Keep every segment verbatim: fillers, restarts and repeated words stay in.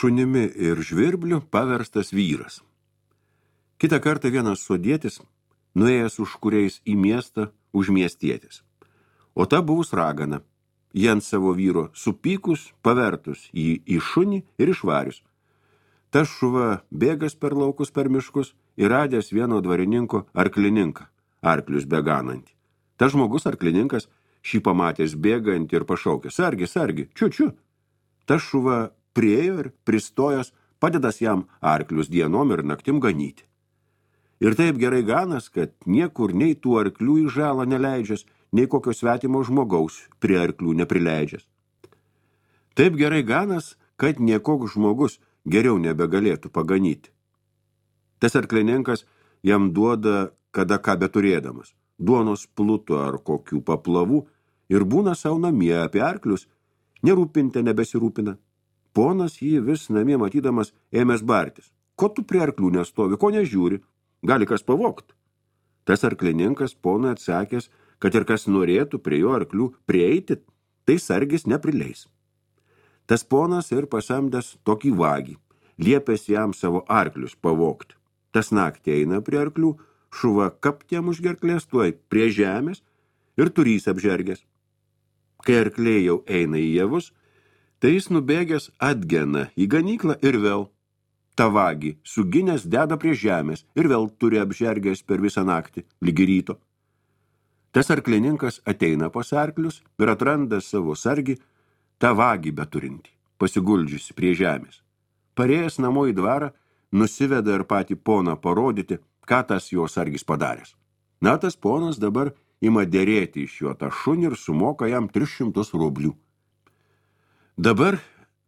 šunimi ir žvirbliu paverstas vyras. Kitą kartą vienas sodietis, nuėjęs už kuriais į miestą, už miestietis. O ta buvus ragana, jie ant savo vyro supykus, pavertus jį į šunį ir išvarius. Tas šuva bėgas per laukus per miškus ir radęs vieno dvarininko arklininką, arklius beganantį. Tas žmogus arklininkas šį pamatęs bėgantį ir pašaukė, sargi, sargi, čiu, čiu. Tas šuva priejo ir pristojęs padedas jam arklius dienom ir naktim ganyti. Ir taip gerai ganas, kad niekur nei tų arklių į žalą neleidžias, nei kokio svetimo žmogaus prie arklių neprileidžias. Taip gerai ganas, kad niekoks žmogus geriau nebegalėtų paganyti. Tas arklininkas jam duoda kada ką beturėdamas, duonos pluto ar kokių paplavų, ir būna savo namie apie arklius, nerūpinte nebesirūpina. Ponas jį vis namie matydamas ėmės bartis. Ko tu prie arklių nestovi, ko nežiūri? Gali kas pavogt. Tas arklininkas ponui atsakęs, kad ir kas norėtų prie jo arklių prieiti, tai sargis neprileis. Tas ponas ir pasamdęs tokį vagį, liepęs jam savo arklius pavogti. Tas naktį eina prie arklių, šuva kapt jam už gerklės, tuoj prie žemės ir turys apžergęs. Kai arkliai jau eina į javus, tai jis nubėgęs atgena į ganyklą ir vėl tą vagį suginęs deda prie žemės ir vėl turi apžergęs per visą naktį, lygi ryto. Tas arklininkas ateina pas arklius ir atranda savo sargį, tą vagį beturintį, pasiguldžiusi prie žemės. Parėjęs namo į dvarą, nusiveda ir patį poną parodyti, ką tas jo sargis padaręs. Na, tas ponas dabar ima derėti iš jo tą šunį ir sumoka jam tris šimtus rublių. Dabar,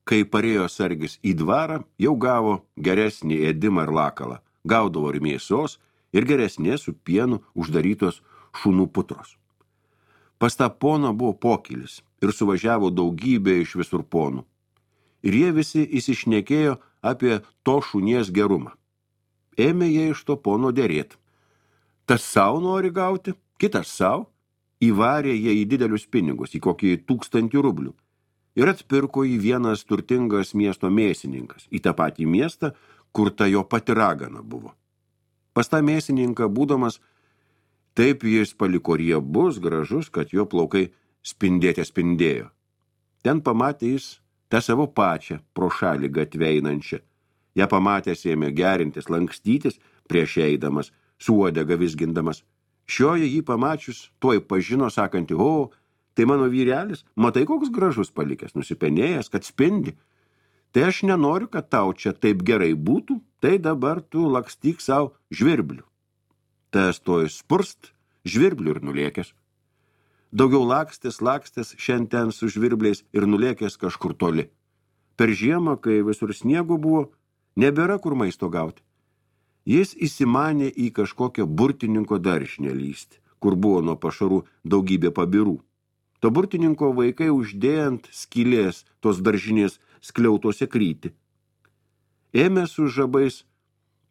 kai parėjo sargis į dvarą, jau gavo geresnį ėdimą ir lakalą, gaudavo ir mėsos, ir geresnės su pienu uždarytos šunų putros. Pas tą poną buvo pokylis ir suvažiavo daugybė iš visur ponų. Ir jie visi įsišnekėjo apie to šunies gerumą. Ėmė jie iš to pono derėti. Tas savo nori gauti, kitas savo, įvarė jie į didelius pinigus, į kokį tūkstantį rublių. Ir atpirko į vienas turtingas miesto mėsininkas, į tą patį miestą, kur ta jo pati ragana buvo. Pas tą mėsininką būdamas, taip jis paliko riebus, gražus, kad jo plaukai spindėte spindėjo. Ten pamatė jis tą savo pačią pro šalį gatveinančią. Ja pamatęs ėmė gerintis, lankstytis, prieš eidamas, su uodega vizgindamas. Šioje jį pamačius, tuoj pažino, sakanti, o, tai mano vyrelis, matai, koks gražus palikęs, nusipenėjęs, kad spindi. Tai aš nenoriu, kad tau čia taip gerai būtų, tai dabar tu lakstyk savo žvirblių. Tas toj spurst, žvirblių ir nulėkęs. Daugiau lakstės, lakstės šiandien su žvirbliais ir nulėkęs kažkur toli. Per žiemą, kai visur sniego buvo, nebėra kur maisto gauti. Jis įsimanė į kažkokią burtininko daržinę lysti, kur buvo nuo pašarų daugybė pabirų. To burtininko vaikai uždėjant skylės tos daržinės skliautose kryti. Ėmė su žabais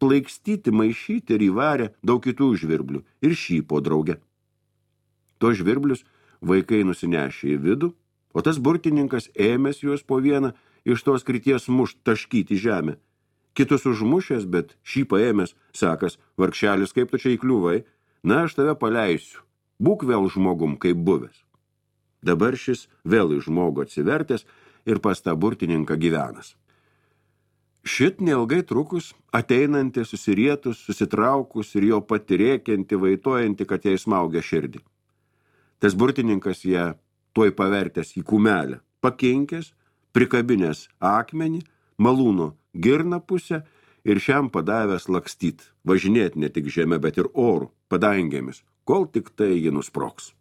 plaikstyti, maišyti ir įvarė daug kitų žvirblių ir šį po draugę. To žvirblius vaikai nusinešė į vidų, o tas burtininkas ėmės juos po vieną iš tos krities mušt taškyti žemę. Kitus užmušęs, bet šį paėmęs, sakas, vargšelis, kaip tu čia įkliuvai, na, aš tave paleisiu, būk vėl žmogum kaip buvęs. Dabar šis vėl į žmogų atsivertęs ir pas tą burtininką gyvenas. Šit neilgai trukus, ateinanti susirietus, susitraukus ir jo patirėkianti, vaitojanti, kad jai smaugia širdį. Tas burtininkas ją tuoj pavertęs į kumelę, pakinkęs, prikabinęs akmenį, malūno girną pusę ir šiam padavęs lakstyt, važinėti ne tik žeme, bet ir oru, padangėmis, kol tik tai ji nusproks.